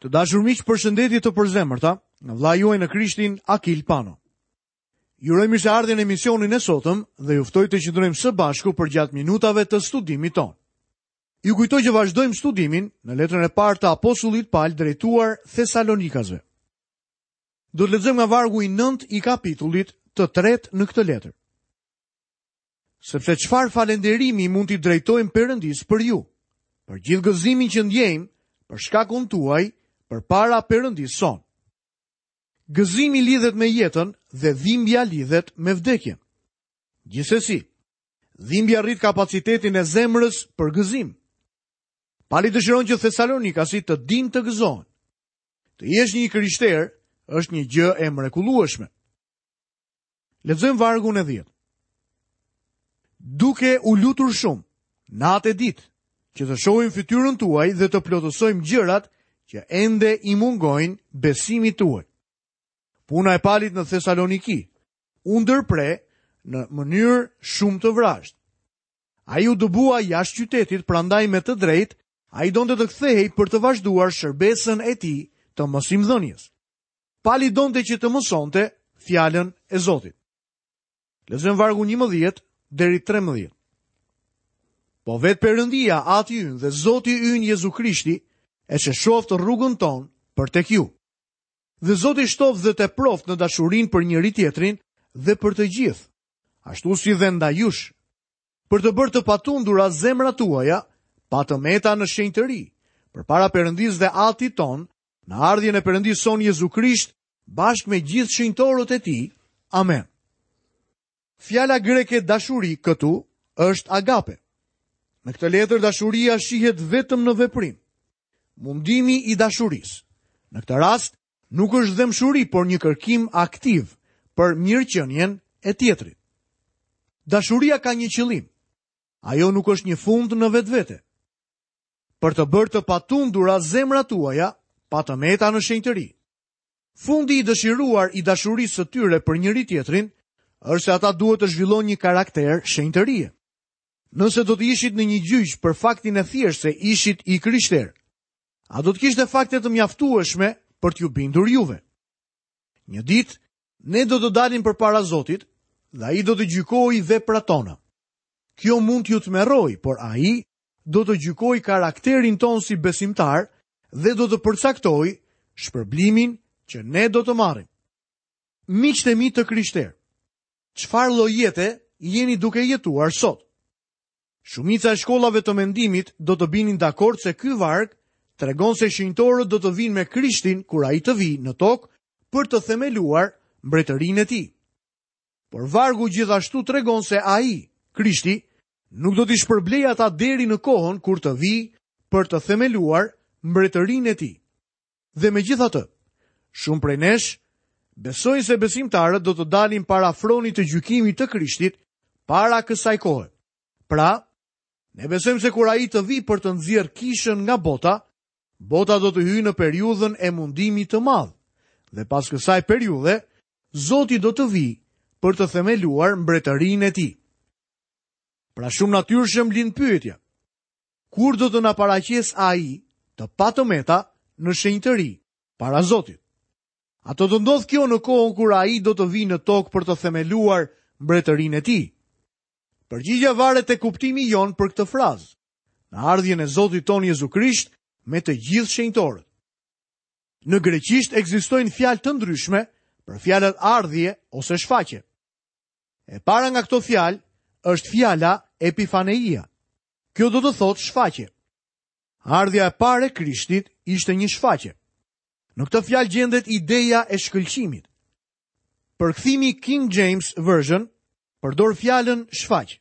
Të dashur miq, përshëndetje të përzemërta nga vëllai juaj në Krishtin Akil Pano. Ju uroj mirëseardhjen në emisionin e sotëm dhe ju ftoj të qëndrojmë së bashku përgjatë minutave të studimit tonë. Ju kujtoj që vazhdojmë studimin në letrën e parë të apostullit Pal drejtuar Thesalonikasve. Do të lexojmë nga vargu i 9 i kapitullit të tretë në këtë letër. Sepse çfarë falënderimi mund t'i drejtojmë Perëndisë për ju, për gjithë gëzimin që ndjejmë për shkakun tuaj përpara Perëndisë sonë. Gëzimi lidhet me jetën dhe dhimbja lidhet me vdekjen. Gjithsesi, dhimbja rrit kapacitetin e zemrës për gëzim. Pali dëshiron që Thesalonikasit të dinë të gëzohen. Të jesh një i krishterë është një gjë e mrekullueshme. Lexojmë vargun e 10. Duke u lutur shumë, natë e ditë, që të shohim fytyrën tuaj dhe të plotësojmë gjërat që ende i mungojnë besimit tuaj. Puna e Palit në Thesaloniki u ndërpre në mënyrë shumë të vrazhdë. Ai u dëbua jashtë qytetit, prandaj me të drejtë ai donte të kthehej për të vazhduar shërbesën e tij të mësimdhënies. Pali donte që të mësonte fjalën e Zotit. Lexojmë vargun 11 deri 13. Po vetë Perëndia, Ati ynë dhe Zoti ynë Jezu Krishti, e sheshoftë rrugën tonë për tek ju. Dhe Zoti shtoftë dhe teproftë në dashurinë për njëri-tjetrin dhe për të gjithë, ashtu si dhe ndaj jush, për të bërë të patundura zemrat tuaja, pa të meta në shenjtëri, përpara Perëndisë dhe Atit tonë, Në ardhjen e Perëndisë sonë Jezu Krisht, bashkë me gjithë shenjtorët e tij. Amen. Fjala greke dashuri këtu është agape. Në këtë letër dashuria shihet vetëm në veprim. Mundimi i dashurisë. Në këtë rast nuk është dhembshuri, por një kërkim aktiv për mirëqenien e tjetrit. Dashuria ka një qëllim. Ajo nuk është një fund në vetvete. për të bërë të patundura zemrat tuaja, pa të meta në shenjtëri. Fundi i dëshiruar i dashurisë së tyre për njëri-tjetrin është se ata duhet të zhvillojnë një karakter shenjtërie. Nëse do të ishit në një gjyq për faktin e thjeshtë se ishit i krishterë, a do të kishte fakte të mjaftueshme për t'ju bindur juve? Një ditë, ne do të dalim përpara Zotit dhe ai do të gjykojë veprat tona. Kjo mund t'ju tmerrojë, por ai do të gjykojë karakterin tonë si besimtarë dhe do të përcaktojë shpërblimin që ne do të marrim. Miqtë e mi të krishterë, çfarë lloj jete jeni duke jetuar sot? Shumica e shkollave të mendimit do të binin dakord se ky varg tregon se shenjtorët do të vijnë me Krishtin kur ai të vijë në tokë për të themeluar mbretërinë e tij. Por vargu gjithashtu tregon se ai, Krishti, nuk do t'i shpërblejë ata deri në kohën kur të vijë për të themeluar mbretërinë e tij. Dhe megjithatë, shumë prej nesh besojnë se besimtarët do të dalin para fronit të gjykimit të Krishtit para kësaj kohe. Pra, ne besojmë se kur ai të vijë për të nxjerrë kishën nga bota, bota do të hyjë në periudhën e mundimit të madh. Dhe pas kësaj periudhe, Zoti do të vijë për të themeluar mbretërinë e tij. Pra shumë natyrshëm lind pyetja. Kur do të na paraqesë ai të pa të meta në shenjtëri para Zotit? A do të ndodhë kjo në kohën kur ai do të vijë në tokë për të themeluar mbretërinë e tij? Përgjigja varet te kuptimi jonë për këtë frazë. Në ardhjen e Zotit tonë Jezu Krisht me të gjithë shenjtorët. Në greqisht ekzistojnë fjalë të ndryshme për fjalët ardhje ose shfaqje. E para nga këto fjalë është fjala epifaneia. Kjo do të thotë shfaqje. Ardhja e parë e Krishtit ishte një shfaqje. Në këtë fjalë gjendet ideja e shkëlqimit. Përkthimi King James Version përdor fjalën shfaq.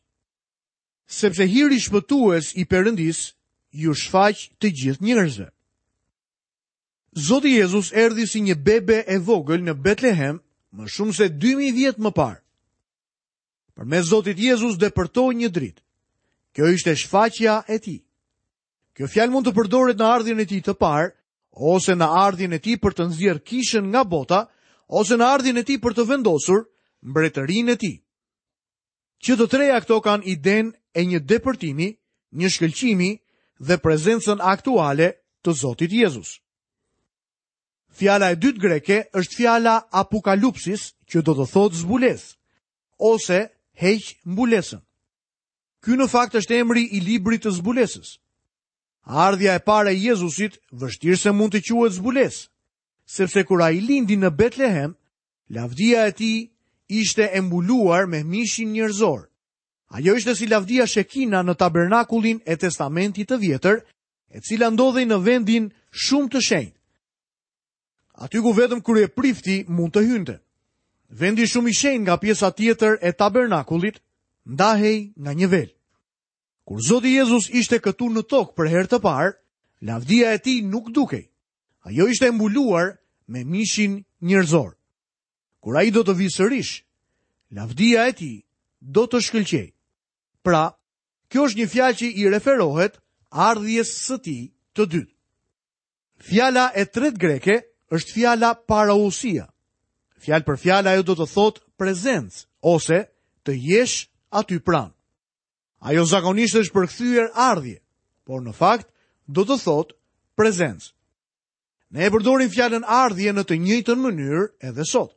Sepse hiri shpëtues i Perëndisë iu shfaq të gjithë njerëzve. Zoti Jezus erdhi si një bebe e vogël në Betlehem më shumë se 2000 vjet më parë. Përmes Zotit Jezus depërtoi një dritë. Kjo ishte shfaqja e tij. Kjo fjalë mund të përdoret në ardhjen e tij të parë, ose në ardhjen e tij për të nxjerrë kishën nga bota, ose në ardhjen e tij për të vendosur mbretërinë e tij. Që të treja këto kanë idenë e një depërtimi, një shkëlqimi dhe prezencën aktuale të Zotit Jezus. Fjala e dytë greke është fjala apokalupsis, që do të thotë zbulesë ose heq mbulesën. Ky në fakt është emri i librit të zbulesës. Ardhja e parë e Jezusit vështirë se mund të quhet zbulesë, sepse kur ai lindi në Betlehem, lavdia e tij ishte e mbuluar me mishin njerëzor. Ajo ishte si lavdia Shekina në tabernakullin e Testamentit të Vjetër, e cila ndodhej në vendin shumë të shenjtë. Aty ku vetëm kryeprifti mund të hynte. Vendi shumë i shenjtë nga pjesa tjetër e tabernakullit ndahej nga një vel. Kur Zoti Jezus ishte këtu në tokë për herë të parë, lavdia e tij nuk dukej. Ajo ishte e mbuluar me mishin njerëzor. Kur ai do të vijë sërish, lavdia e tij do të shkëlqejë. Pra, kjo është një fjalë që i referohet ardhjes së tij të dytë. Fjala e tretë greke është fjala parousia. Fjalë për fjalë ajo do të thotë prezencë ose të jesh aty pranë. Ajo zakonisht është përkthyer ardhje, por në fakt do të thotë prezencë. Ne e përdorim fjalën ardhje në të njëjtën mënyrë edhe sot.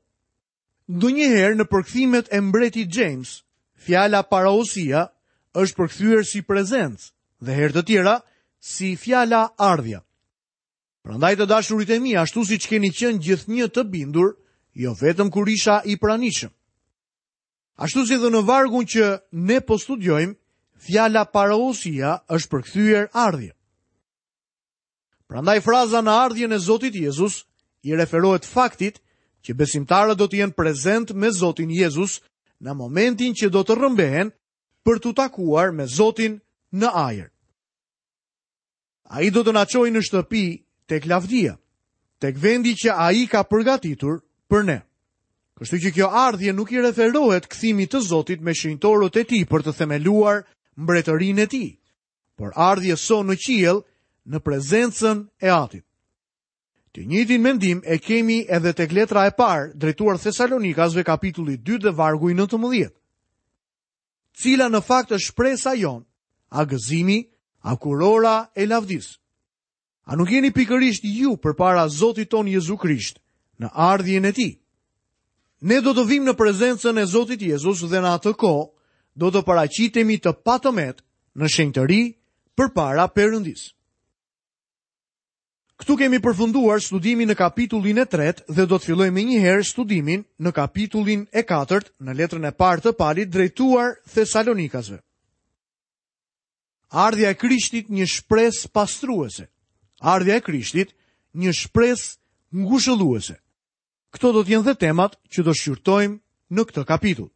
Ndonjëherë në përkthimet e mbretit James, fjala parousia është përkthyer si prezencë dhe herë të tjera si fjala ardhja. Prandaj të dashurit e mi, ashtu siç keni qenë gjithnjë të bindur, jo vetëm kur isha i pranishëm. Ashtu si dhe në vargun që ne po studiojmë, fjala parousia është përkthyer ardhje. Prandaj fraza në ardhjen e Zotit Jezus i referohet faktit që besimtarët do të jenë prezent me Zotin Jezus në momentin që do të rrëmbehen për t'u takuar me Zotin në ajër. Ai do të na çojë në shtëpi tek lavdia, tek vendi që ai ka përgatitur për ne. Kështu që kjo ardhje nuk i referohet kthimit të Zotit me shenjtorët e tij për të themeluar mbretërinë e tij, por ardhjes sonë në qiell në prezencën e Atit. Të njëjtin mendim e kemi edhe tek letra e parë drejtuar Thesalonikasve kapitulli 2 dhe vargu i 19. Cila në fakt është shpresa jonë, a gëzimi, a kurora e lavdisë. A nuk jeni pikërisht ju përpara Zotit tonë Jezu Krisht në ardhjen e tij? Ne do të vijmë në prezencën e Zotit Jezus dhe në atë kohë do të paraqitemi të patëmetë në shenjtëri përpara Perëndisë. Këtu kemi përfunduar studimin në kapitullin e tretë dhe do të fillojmë menjëherë studimin në kapitullin e katërt në letrën e parë të Palit drejtuar Thesalonikasve. Ardhja e Krishtit një shpresë pastruese. Ardhja e Krishtit një shpresë ngushëlluese. Këto do të jenë dhe temat që do shqyrtojmë në këtë kapitull.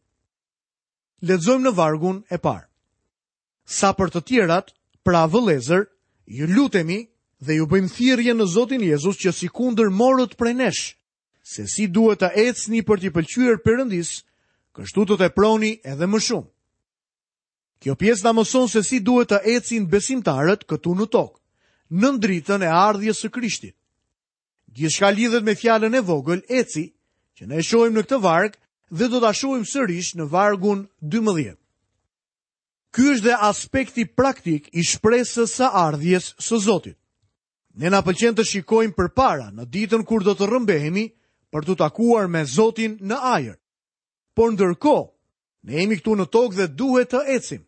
Lexojmë në vargun e parë. Sa për të tjerat, pra vëllezër, ju lutemi dhe ju bëjmë thirrje në Zotin Jezus që sikundër morët prej nesh, se si duhet të ecni për t'i pëlqyer Perëndisë, kështu të teproni edhe më shumë. Kjo pjesë na mëson se si duhet të ecin besimtarët këtu në tokë, nën dritën e ardhjes së Krishtit. Gjithçka lidhet me fjalën e vogël eci, që ne e shohim në këtë varg dhe do ta shohim sërish në vargun 12. Ky është dhe aspekti praktik i shpresës së ardhjes së Zotit. Ne na pëlqen të shikojmë përpara në ditën kur do të rrëmbehemi për t'u takuar me Zotin në ajër. Por ndërkohë, Ne jemi këtu në tokë dhe duhet të ecim.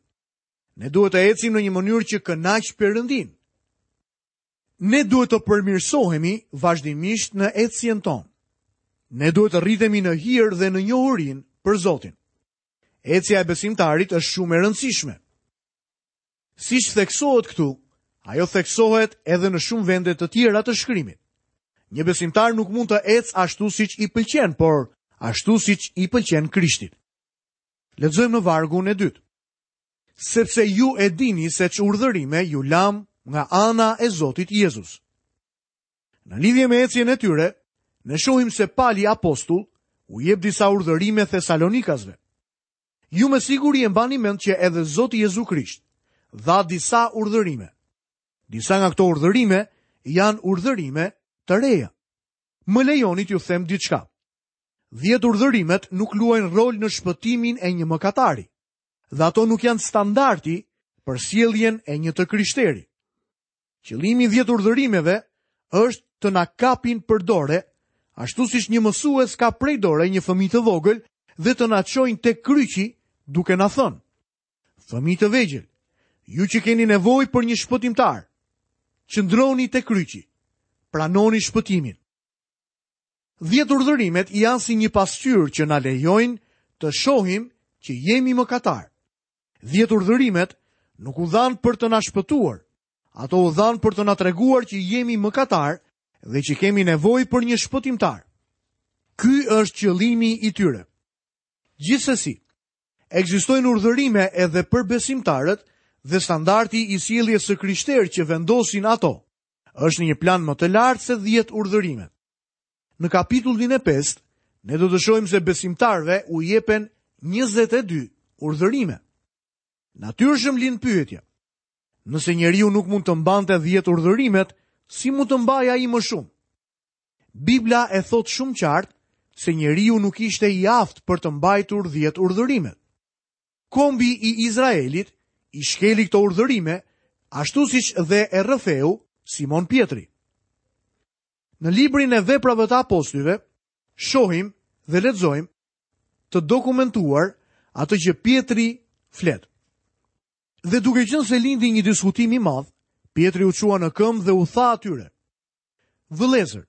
Ne duhet të ecim në një mënyrë që kënaq Perëndinë. Ne duhet të përmirësohemi vazhdimisht në ecjen tonë. Ne duhet të rritemi në hir dhe në njohurinë për Zotin. Ecja e besimtarit është shumë e rëndësishme. Siç theksohet këtu, ajo theksohet edhe në shumë vende të tjera të shkrimit. Një besimtar nuk mund të ecë ashtu siç i pëlqen, por ashtu siç i pëlqen Krishtit. Lexojmë në vargun e dytë. Sepse ju e dini se ç'urdhërime ju lamë nga ana e Zotit Jezus. Në lidhje me ecjen e tyre, ne shohim se Pali apostull u jep disa urdhërime Thesalonikasve. Ju me siguri e mbani mend që edhe Zoti Jezu Krisht dha disa urdhërime. Disa nga këto urdhërime janë urdhërime të reja. Më lejoni t'ju them diçka. 10 urdhërimet nuk luajnë rol në shpëtimin e një mëkatari dhe ato nuk janë standardi për sjelljen e një të krishteri. Qëllimi i 10 urdhërimeve është të na kapin për dore, ashtu siç një mësues kap prej dore një fëmijë të vogël dhe të na çojnë tek kryqi duke na thënë: Fëmijë të vegjël, ju që keni nevojë për një shpëtimtar, qëndroni te kryqi, pranoni shpëtimin. Dhjetë urdhërimet janë si një pasqyrë që na lejojnë të shohim që jemi mëkatarë. Dhjetë urdhërimet nuk u dhanë për të na shpëtuar. Ato u dhanë për të na treguar që jemi mëkatarë dhe që kemi nevojë për një shpëtimtar. Ky është qëllimi i tyre. Gjithsesi, ekzistojnë urdhërime edhe për besimtarët dhe standardi i sjelljes së krishterë që vendosin ato është në një plan më të lartë se 10 urdhërimet. Në kapitullin e 5, ne do të shohim se besimtarëve u jepen 22 urdhërime. Natyrshëm lind pyetja. Nëse njeriu nuk mund të mbante 10 urdhërimet, si mund të mbajë ai më shumë? Bibla e thotë shumë qartë se njeriu nuk ishte i aftë për të mbajtur 10 urdhërimet. Kombi i Izraelit i shkeli këto urdhërime, ashtu siç dhe e rrëfeu Simon Pjetri. Në librin e veprave të apostujve, shohim dhe lexojmë të dokumentuar atë që Pjetri flet. Dhe duke qenë se lindi një diskutim i madh, Pjetri u çua në këmbë dhe u tha atyre: Vëllezër,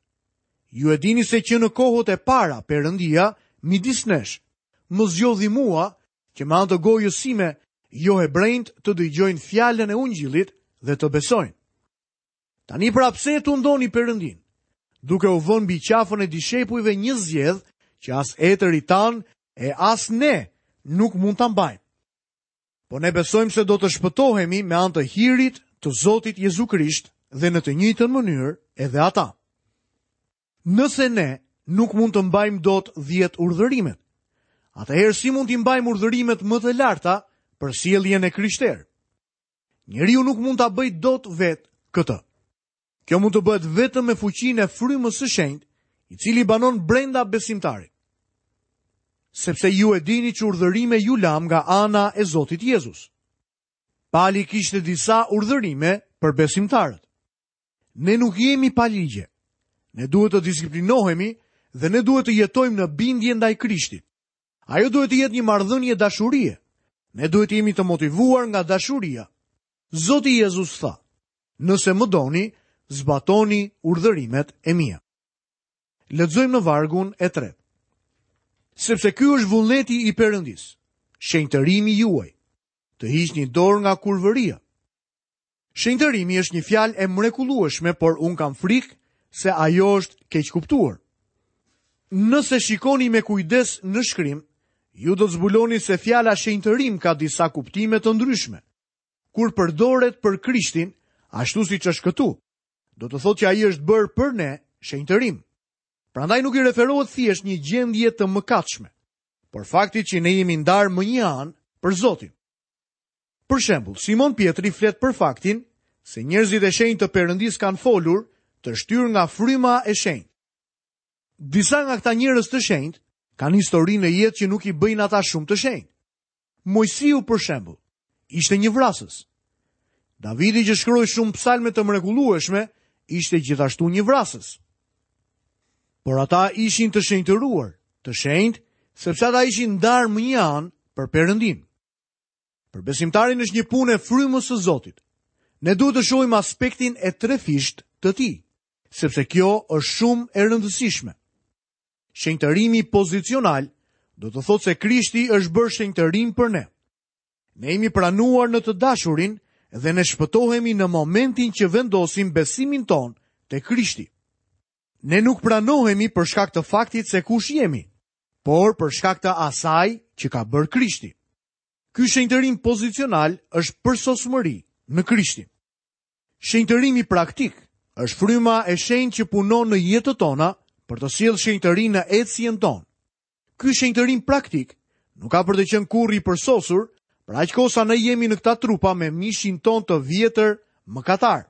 ju e dini se që në kohët e para Perëndia midis nesh më zgjodhi mua që me anë të gojës sime johebrenjtë të dëgjojnë fjalën e ungjillit dhe të besojnë. Tani pra pse e tundoni Perëndinë, duke u vënë mbi qafën e dishepujve një zgjedhë që as etërit tanë e as ne nuk mund ta mbajmë. Po ne besojmë se do të shpëtohemi me anë të hirit të Zotit Jezu Krisht dhe në të njëjtën mënyrë edhe ata. Nëse ne nuk mund të mbajmë dot 10 urdhërimet, atëherë si mund t'i mbajmë urdhërimet më të larta për sjelljen e krishterë? Njeriu nuk mund ta bëjë dot vetë këtë. Kjo mund të bëhet vetëm me fuqinë e frymës së shenjtë, i cili banon brenda besimtarit. Sepse ju e dini ç'urdhërime ju lamë nga ana e Zotit Jezus. Pali kishte disa urdhërime për besimtarët. Ne nuk jemi pa ligje. Ne duhet të disiplinohemi dhe ne duhet të jetojmë në bindje ndaj Krishtit. Ajo duhet të jetë një marrëdhënie dashurie. Ne duhet të jemi të motivuar nga dashuria. Zoti Jezus tha, nëse më doni, zbatoni urdhërimet e mia. Lexojmë në vargun e tretë. Sepse ky është vullneti i Perëndisë, shenjtërimi juaj, të hiqni dorë nga kurvëria. Shenjtërimi është një fjalë e mrekullueshme, por unë kam frikë se ajo është keqkuptuar. Nëse shikoni me kujdes në shkrim, ju do të zbuloni se fjala shenjtërim ka disa kuptime të ndryshme. Kur përdoret për Krishtin, ashtu siç është këtu, do të thotë që ai është bërë për ne shenjtërim. Prandaj nuk i referohet thjesht një gjendje të mëkatshme, por faktit që ne jemi ndarë më një anë për Zotin. Për shembull, Simon Pjetri flet për faktin se njerëzit e shenjtë të Perëndisë kanë folur të shtyrë nga fryma e shenjtë. Disa nga këta njerëz të shenjtë kanë histori në jetë që nuk i bëjnë ata shumë të shenjtë. Moisiu për shembull, ishte një vrasës. Davidi që shkroi shumë psalme të mrekullueshme, ishte gjithashtu një vrasës. Por ata ishin të shenjtëruar, të shenjtë, sepse ata ishin ndarë më një anë për Perëndinë. Për besimtarin është një punë e frymës së Zotit. Ne duhet të shohim aspektin e trefishtë të tij, sepse kjo është shumë e rëndësishme. Shenjtërimi pozicional do të thotë se Krishti është bërë shenjtërim për ne. Ne jemi pranuar në të dashurin dhe ne shpëtohemi në momentin që vendosim besimin tonë te Krishti. Ne nuk pranohemi për shkak të faktit se kush jemi, por për shkak të asaj që ka bërë Krishti. Ky shenjtërim pozicional është përsosmëri në Krishtin. Shenjtërimi praktik është fryma e shenjtë që punon në jetët tona për të sjellë shenjtëri në ecjen tonë. Ky shenjtërim praktik nuk ka për të qenë kurrë i përsosur, për aq kohë sa ne jemi në këta trupa me mishin tonë të vjetër mëkatar.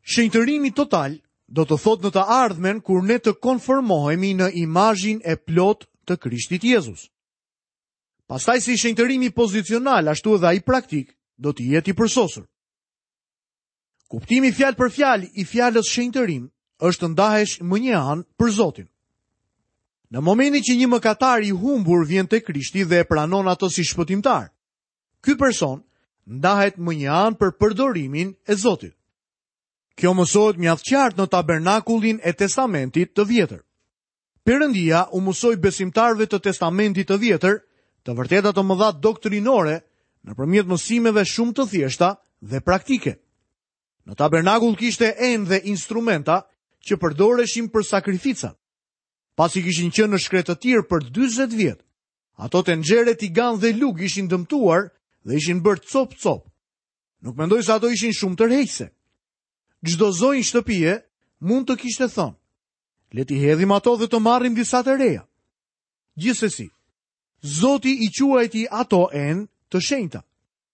Shenjtërimi total do të thotë në të ardhmen kur ne të konformohemi në imazhin e plotë të Krishtit Jezus. Pastaj si shenjtërimi pozicional ashtu edhe ai praktik do të jetë i përsosur. Kuptimi fjalë për fjalë i fjalës shenjtërim është të ndahesh më një anë për Zotin. Në momentin që një mëkatar i humbur vjen te Krishti dhe e pranon atë si shpëtimtar, ky person ndahet më një anë për përdorimin e Zotit. Kjo mësohet mjaft qartë në tabernakullin e Testamentit të Vjetër. Perëndia u mësoi besimtarëve të Testamentit të Vjetër të vërteta të mëdha doktrinore nëpërmjet mësimeve shumë të thjeshta dhe praktike. Në tabernakull kishte enë dhe instrumenta që përdoreshin për sakrificat. Pasi kishin qenë në shkretëtirë për 40 vjet, ato tenxhere, tiganë dhe lugë ishin dëmtuar dhe ishin bërë copë-copë. Nuk mendoj se ato ishin shumë tërheqëse. Çdo zonjë shtëpie mund të kishte thënë, le t'i hedhim ato dhe të marrim disa të reja. Gjithsesi, Zoti i quajti ato enë të shenjta.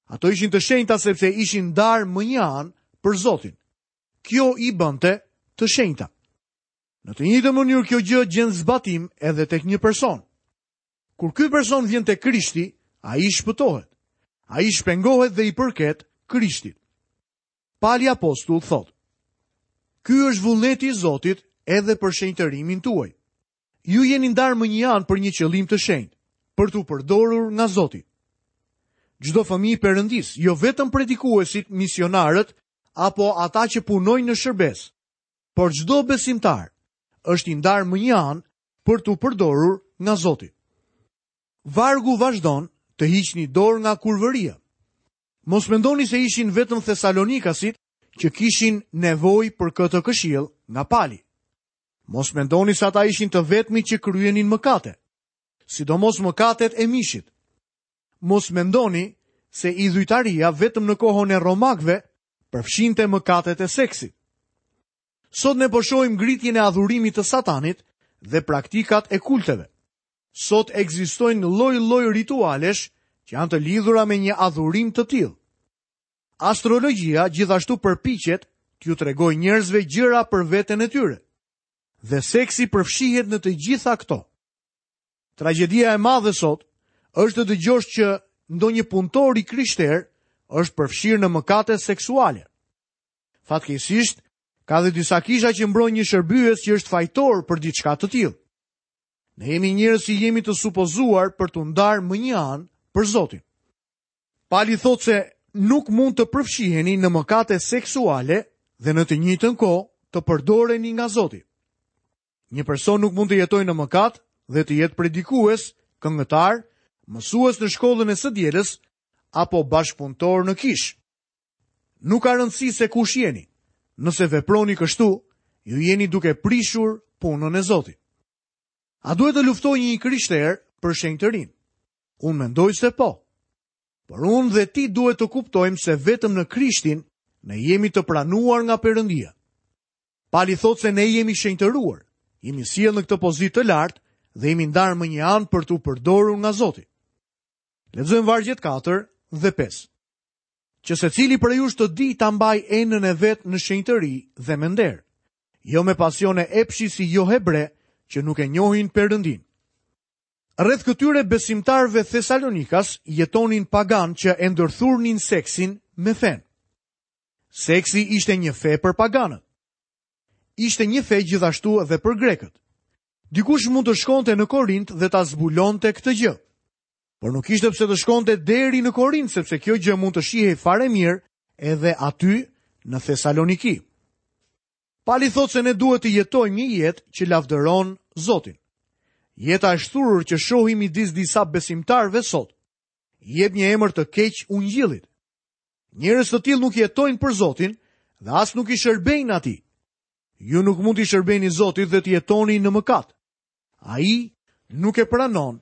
Ato ishin të shenjta sepse ishin ndarë më një anë për Zotin. Kjo i bënte të shenjta. Në të njëjtën mënyrë kjo gjë gjen zbatim edhe tek një person. Kur ky person vjen te Krishti, ai shpëtohet. Ai shpengohet dhe i përket Krishtit. Pali apostull thotë: Ky është vullneti i Zotit edhe për shenjtërimin tuaj. Ju jeni ndarë më një anë për një qëllim të shenjtë, për t'u përdorur nga Zoti. Çdo fëmijë i Perëndisë, jo vetëm predikuesit, misionarët apo ata që punojnë në shërbesë, por çdo besimtar është i ndarë më një anë për t'u përdorur nga Zoti. Vargu vazhdon të hiqni dorë nga kurvëria. Mos mendoni se ishin vetëm thesalonikasit që kishin nevojë për këtë këshillë nga Pali. Mos mendoni se ata ishin të vetmit që kryenin mëkate, sidomos mëkatet e mishit. Mos mendoni se idhujtaria vetëm në kohën e romakëve përfshinte mëkatet e seksit. Sot ne po shohim ngritjen e adhurimit të Satanit dhe praktikat e kulteve. Sot ekzistojnë lloj-lloj ritualesh që janë të lidhura me një adhurim të tillë. Astrologjia gjithashtu përpiqet t'ju tregojë njerëzve gjëra për veten e tyre. Dhe seksi përfshihet në të gjitha këto. Tragjedia e madhe sot është të dëgjosh që ndonjë punëtor i krishterë është përfshirë në mëkate seksuale. Fatkeqësisht, ka dhe disa kisha që mbrojnë një shërbyes që është fajtor për diçka të tillë. Ne jemi njerëz që jemi të supozuar për t'u ndarë më një anë për Zotin. Pali thotë se nuk mund të përfshiheni në mëkate seksuale dhe në të njëjtën kohë të përdoreni nga Zoti. Një person nuk mund të jetojë në mëkat dhe të jetë predikues, këngëtar, mësues në shkollën e së dielës apo bashkëpunëtor në kishë. Nuk ka rëndësi se kush jeni. Nëse veproni kështu, ju jeni duke prishur punën e Zotit. A duhet të luftojë një i krishterë për shenjtërinë? Unë mendoj se po. Por unë dhe ti duhet të kuptojmë se vetëm në Krishtin ne jemi të pranuar nga Perëndia. Pali thotë se ne jemi shenjtëruar, jemi sjellë në këtë pozitë të lartë dhe jemi ndarë më një anë për t'u përdorur nga Zoti. Lexojmë vargjet 4 dhe 5. Që secili prej jush të dijë ta mbajë enën e vet në shenjtëri dhe me nder, jo me pasione epshi si johebre që nuk e njohin Perëndinë. Rreth këtyre besimtarëve thesalonikas jetonin paganë që e ndërthurnin seksin me fenë. Seksi ishte një fe për paganët. Ishte një fe gjithashtu edhe për grekët. Dikush mund të shkonte në Korint dhe ta zbulonte këtë gjë. Por nuk kishte pse të shkonte deri në Korint, sepse kjo gjë mund të shihej fare mirë edhe aty në Thesaloniki. Pali thotë se ne duhet të jetojmë një jetë që lavdëron Zotin. Jeta e shthurur që shohim midis disa besimtarëve sot, i jep një emër të keq ungjillit. Njerëz të tillë nuk jetojnë për Zotin dhe as nuk i shërbejnë atij. Ju nuk mund t'i shërbeni Zotit dhe të jetoni në mëkat. Ai nuk e pranon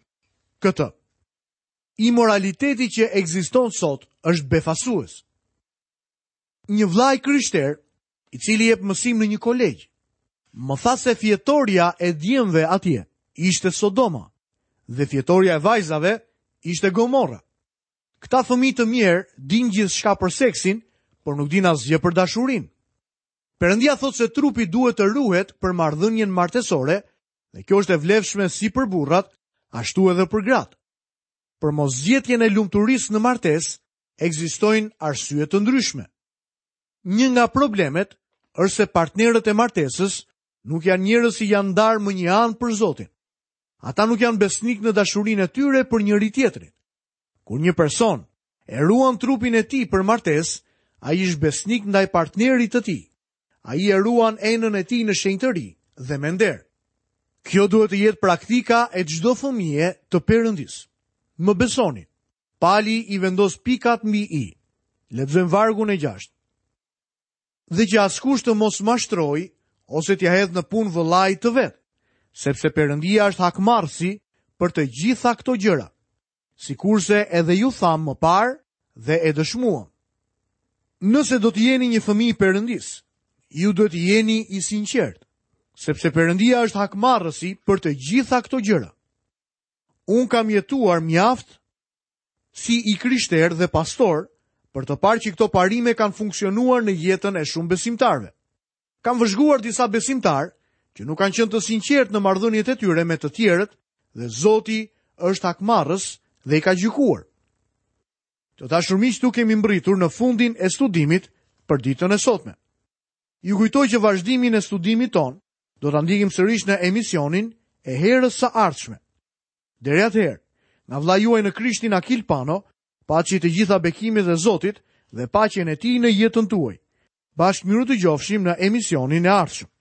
këtë. Imoraliteti që ekziston sot është befasues. Një vëlla i krishterë, i cili jep mësim në një kolegj, më tha se fjetorja e djemve atje ishte Sodoma dhe fjetorja e vajzave ishte Gomorra. Këta fëmijë të mjerë dinë gjithçka për seksin, por nuk dinë asgjë për dashurinë. Perëndia thotë se trupi duhet të ruhet për marrëdhënien martesore dhe kjo është e vlefshme si për burrat, ashtu edhe për gratë. Për mosgjetjen e lumturisë në martesë ekzistojnë arsye të ndryshme. Një nga problemet është se partnerët e martesës nuk janë njerëz që janë ndarë më një anë për Zotin. Ata nuk janë besnikë në dashurinë e tyre për njëri-tjetrin. Kur një person e ruan trupin e tij për martesë, ai është besnik ndaj partnerit të tij. Ai e ruan enën e tij në shenjtëri dhe me nder. Kjo duhet të jetë praktika e çdo fëmije të Perëndisë. Më besoni, Pali i vendos pikat mbi i. Lexojmë vargun e 6. Dhe që askush të mos mashtrojë ose t'ia hedhë në punë vëllait të vet, sepse Perëndia është hakmarrësi për të gjitha këto gjëra, sikurse edhe ju thamë më parë dhe e dëshmuam. Nëse do të jeni një fëmijë i Perëndisë, ju duhet të jeni i sinqertë, sepse Perëndia është hakmarrësi për të gjitha këto gjëra. Unë kam jetuar mjaft si i krishterë dhe pastor për të parë që këto parime kanë funksionuar në jetën e shumë besimtarëve. Kam vëzhguar disa besimtarë që nuk kanë qenë të sinqertë në marrëdhëniet e tyre me të tjerët dhe Zoti është hakmarrës dhe i ka gjykuar. Të dashur miq, këtu kemi mbërritur në fundin e studimit për ditën e sotme. Ju kujtoj që vazhdimin e studimit tonë do ta ndjekim sërish në emisionin e herës së ardhshme. Deri atëherë, nga vëllai juaj në Krishtin Akil Pano, paçi të gjitha bekimet e Zotit dhe paqen e tij në jetën tuaj. Bashkë mirudëgjofshim në emisionin e ardhshëm.